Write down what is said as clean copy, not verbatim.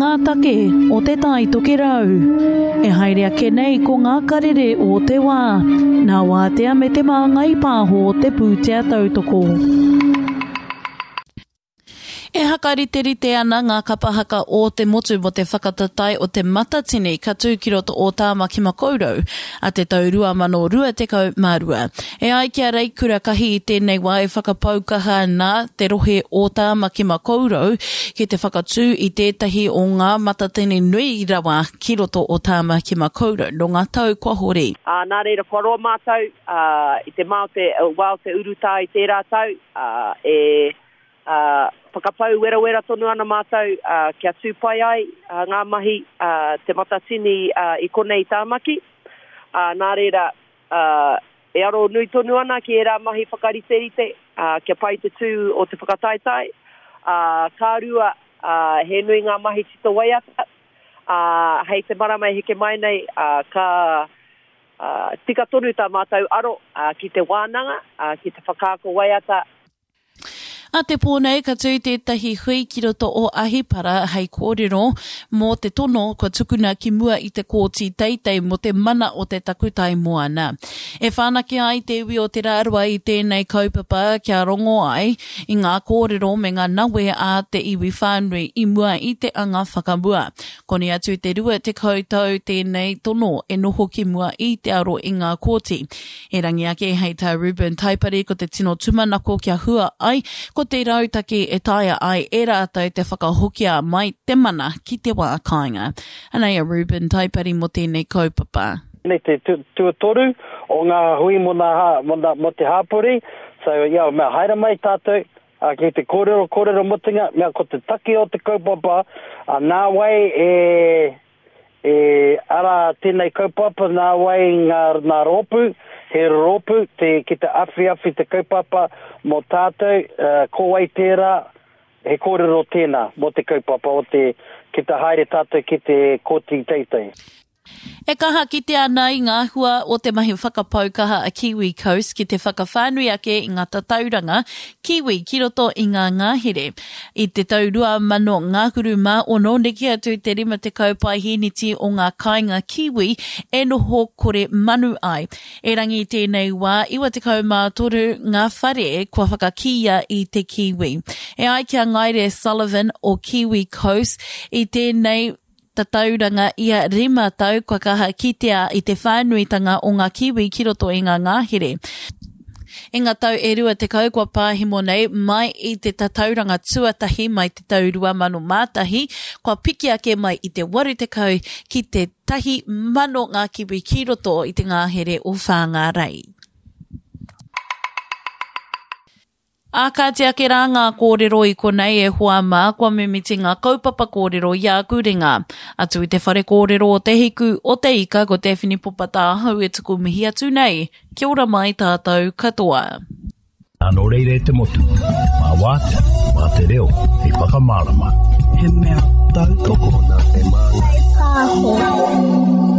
ngā take o Te Tai Tokerau. E haere ake nei ko ngā karere o te wā, nā Wātea me Te Māngai Pāho te pūtea tautoko. E hakariterite ana ngā kapa haka o te motu mō te whakatatae o Te Matatini ka tū ki roto o Tāmaki Makaurau a te tau 2022. E ai ki a Reikura Kahi i tēnei wā e whakapau kaha ana te rohe o Tāmaki Makaurau ki te whakatū i tētahi o ngā matatini nui rawa ki roto o Tāmaki Makaurau nō ngā tau kua hori. Ā, nā reira, kua roa mātou, ā, i te mā o te, wā o te urutā i tērā tau, ā, e, ā, whakapau werawera tonu ana mātou, ā, kia tū pai ai, ā, ngā mahi, ā, Te Matatini, ā, i konei i Tāmaki. Ā, nā reira, ā, e aro nui tonu ana ki ērā mahi whakariterite, ā, kia pai te tū o te whakataetae. Ā, ka rua, ā, he nui ngā mahi tito waiata, ā, hei te marama e heke mai nei, ā, ka, ā, tika tonu tā mātou aro, ā, ki te wānanga, ā, ki te whakaako waiata. A te pō nei ka tū tētahi hui ki roto o Ahipara hei kōrero mō te tono kua tukuna ki mua i te Kōti Teitei mō te mana o te takutai moana. E whanake ai te iwi o Te Rarawa i tēnei kaupapa kia rongo ai i ngā kōrero me ngā nawe a te iwi whānui i mua i te anga whakamua. Koni atu te 20 tau tēnei tono e noho ki mua i te aro i ngā kōti. Erangi ake hei tā Reuben Taipari ko te tino tumanako kia hua ai ko te rautaki e taea ai e rātou te whakahokia mai te mana ki te wā kāinga. Anei a Reuben Taipari mō tēnei kaupapa. Nei te tuatoru o ngā hui mo nā, mo nā, mo te hāpori, so ia mea haere mai tātou, a, ki te kōrero, kōrero motinga, mea ko te take o te kaupapa, a, nā wai e, E, arā, tēnei kaupapa nā wai ngā, ngā rōpū, he rōpū te, ki te awhiawhi te kaupapa mō tātou, uh, ko wai tērā, he kōrero tēnā mō te kaupapa o te, ki te haere tātou ki te kōti teitei. E kaha kitea ana i ngā hua o te mahi whakapau kaha a Kiwi Coast ki te whakawhānui ake i ngā tatauranga kiwi ki roto i ngā ngahere. I te tau 2000 ngahuru mā ono, neke atu i te 50 paeheneti o ngā kāinga kiwi e noho kore manu ai. Erangi i tēnei wā, 93 ngā whare kua whakakīia i te kiwi. E ai ki a Ngaire Sullivan o Kiwi Coast, i tēnei tatauranga ia rima tau kua kaha kitea i te whānuitanga o ngā kiwi ki roto i ngā ngahere. I ngā tau e 20 kua pāhemo nei, mai i te tatauranga tuatahi mai te tau 2001, kua piki ake mai i te 80 ki te 1,000 ngā kiwi ki roto i te ngahere o Whāngārei. Ā, kāti ake rā ngā kōrero i konei e hoa mā, kua mimiti ngā kaupapa kōrero i āku ringa. Atu i te whare kōrero o Te Hiku, o Te Ika, ko Daphne Popata ahau e tuku mihi atu nei. Kia ora mai tātou katoa. Nā nō reira e te motu, mā Wātea, mā te reo hei whakamārama. He mea tautoko nā Te Māngai Pāho.